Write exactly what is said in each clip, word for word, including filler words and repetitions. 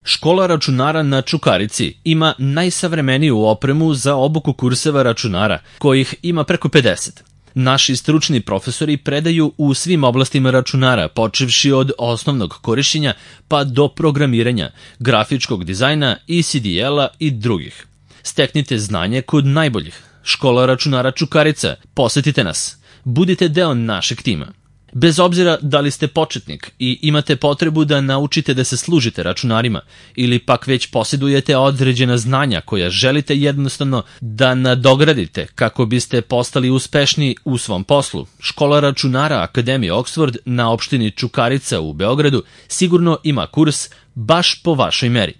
Škola računara na Čukarici ima najsavremeniju opremu za obuku kurseva računara, kojih ima preko pedeset. Naši stručni profesori predaju u svim oblastima računara, počevši od osnovnog korišćenja pa do programiranja, grafičkog dizajna, E C D L-a i drugih. Steknite znanje kod najboljih. Škola računara Čukarica, posetite nas. Budite deo našeg tima. Bez obzira da li ste početnik i imate potrebu da naučite da se služite računarima ili pak već posjedujete određena znanja koja želite jednostavno da nadogradite kako biste postali uspešni u svom poslu, Škola računara Akademije Oxford na opštini Čukarica u Beogradu sigurno ima kurs baš po vašoj meri.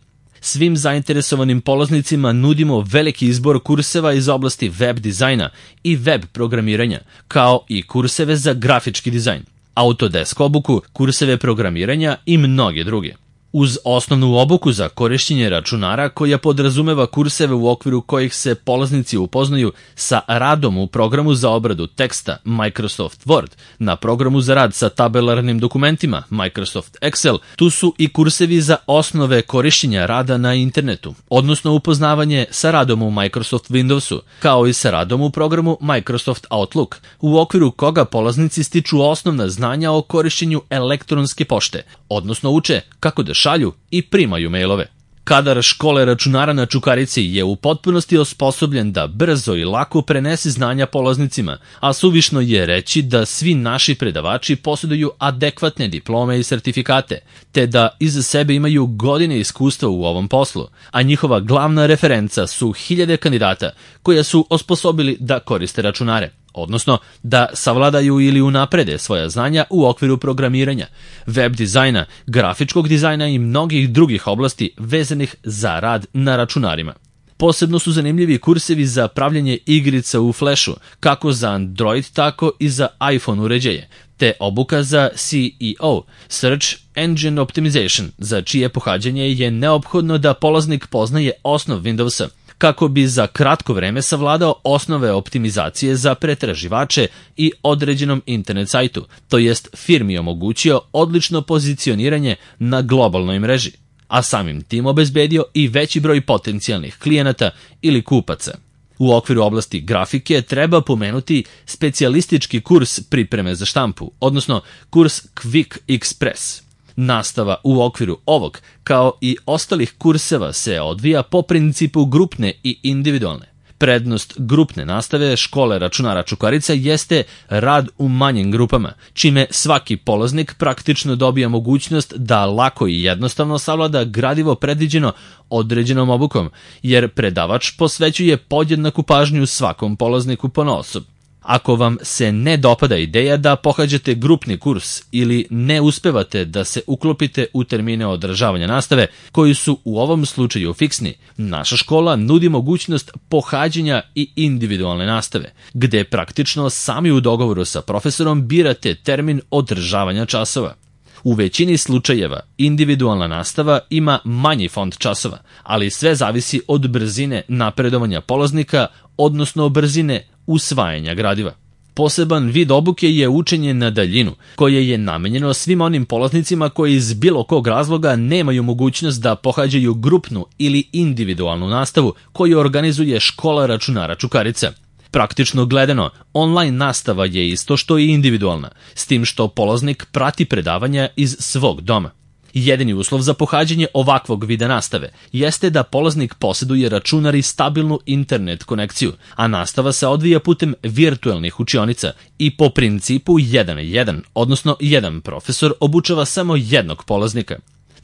Svim zainteresovanim polaznicima nudimo veliki izbor kurseva iz oblasti web dizajna i web programiranja, kao i kurseve za grafički dizajn, Autodesk obuku, kurseve programiranja i mnoge druge. Uz osnovnu obuku za korišćenje računara koja podrazumeva kurseve u okviru kojih se polaznici upoznaju sa radom u programu za obradu teksta Microsoft Word, na programu za rad sa tabelarnim dokumentima Microsoft Excel, tu su i kursevi za osnove korišćenja rada na internetu, odnosno upoznavanje sa radom u Microsoft Windowsu, kao i sa radom u programu Microsoft Outlook, u okviru koga polaznici stiču osnovna znanja o korišćenju elektronske pošte, odnosno uče kako da šalju i primaju mailove. Kadar škole računara na Čukarici je u potpunosti osposobljen da brzo i lako prenese znanja polaznicima, a suvišno je reći da svi naši predavači posjeduju adekvatne diplome i sertifikate, te da iza sebe imaju godine iskustva u ovom poslu, a njihova glavna referenca su hiljade kandidata koja su osposobili da koriste računare, odnosno da savladaju ili unaprede svoja znanja u okviru programiranja, web dizajna, grafičkog dizajna i mnogih drugih oblasti vezanih za rad na računarima. Posebno su zanimljivi kursevi za pravljanje igrica u Flashu, kako za Android, tako i za iPhone uređaje, te obuka za C E O, Search Engine Optimization, za čije pohađanje je neophodno da polaznik poznaje osnov Windowsa, kako bi za kratko vreme savladao osnove optimizacije za pretraživače i određenom internet sajtu, to jest firmi omogućio odlično pozicioniranje na globalnoj mreži, a samim tim obezbedio i veći broj potencijalnih klijenata ili kupaca. U okviru oblasti grafike treba pomenuti specijalistički kurs pripreme za štampu, odnosno kurs Quick Express. Nastava u okviru ovog, kao i ostalih kurseva, se odvija po principu grupne i individualne. Prednost grupne nastave škole računara Čukarica jeste rad u manjim grupama, čime svaki polaznik praktično dobija mogućnost da lako i jednostavno savlada gradivo predviđeno određenom obukom, jer predavač posvećuje podjednaku pažnju svakom polazniku ponaosob. Ako vam se ne dopada ideja da pohađate grupni kurs ili ne uspevate da se uklopite u termine održavanja nastave, koji su u ovom slučaju fiksni, naša škola nudi mogućnost pohađanja i individualne nastave, gde praktično sami u dogovoru sa profesorom birate termin održavanja časova. U većini slučajeva individualna nastava ima manji fond časova, ali sve zavisi od brzine napredovanja polaznika, odnosno brzine usvajanja gradiva. Poseban vid obuke je učenje na daljinu, koje je namenjeno svim onim polaznicima koji iz bilo kog razloga nemaju mogućnost da pohađaju grupnu ili individualnu nastavu koju organizuje škola računara Čukarica. Praktično gledano, online nastava je isto što i individualna, s tim što polaznik prati predavanja iz svog doma. Jedini uslov za pohađanje ovakvog vida nastave jeste da polaznik posjeduje računar i stabilnu internet konekciju, a nastava se odvija putem virtuelnih učionica i po principu jedan na jedan, odnosno jedan profesor obučava samo jednog polaznika.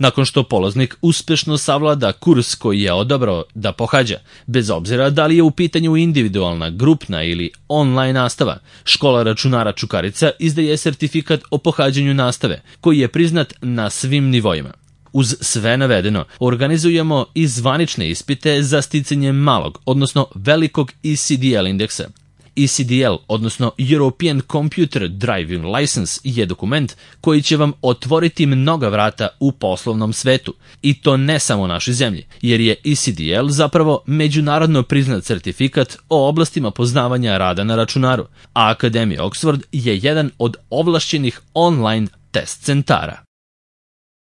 Nakon što polaznik uspešno savlada kurs koji je odabrao da pohađa, bez obzira da li je u pitanju individualna, grupna ili online nastava, škola računara Čukarica izdaje sertifikat o pohađanju nastave, koji je priznat na svim nivoima. Uz sve navedeno, organizujemo i zvanične ispite za sticanje malog, odnosno velikog E C D L indeksa. E C D L, odnosno European Computer Driving License, je dokument koji će vam otvoriti mnoga vrata u poslovnom svetu, i to ne samo u našoj zemlji, jer je E C D L zapravo međunarodno priznat sertifikat o oblastima poznavanja rada na računaru, a Akademija Oxford je jedan od ovlašćenih online test centara.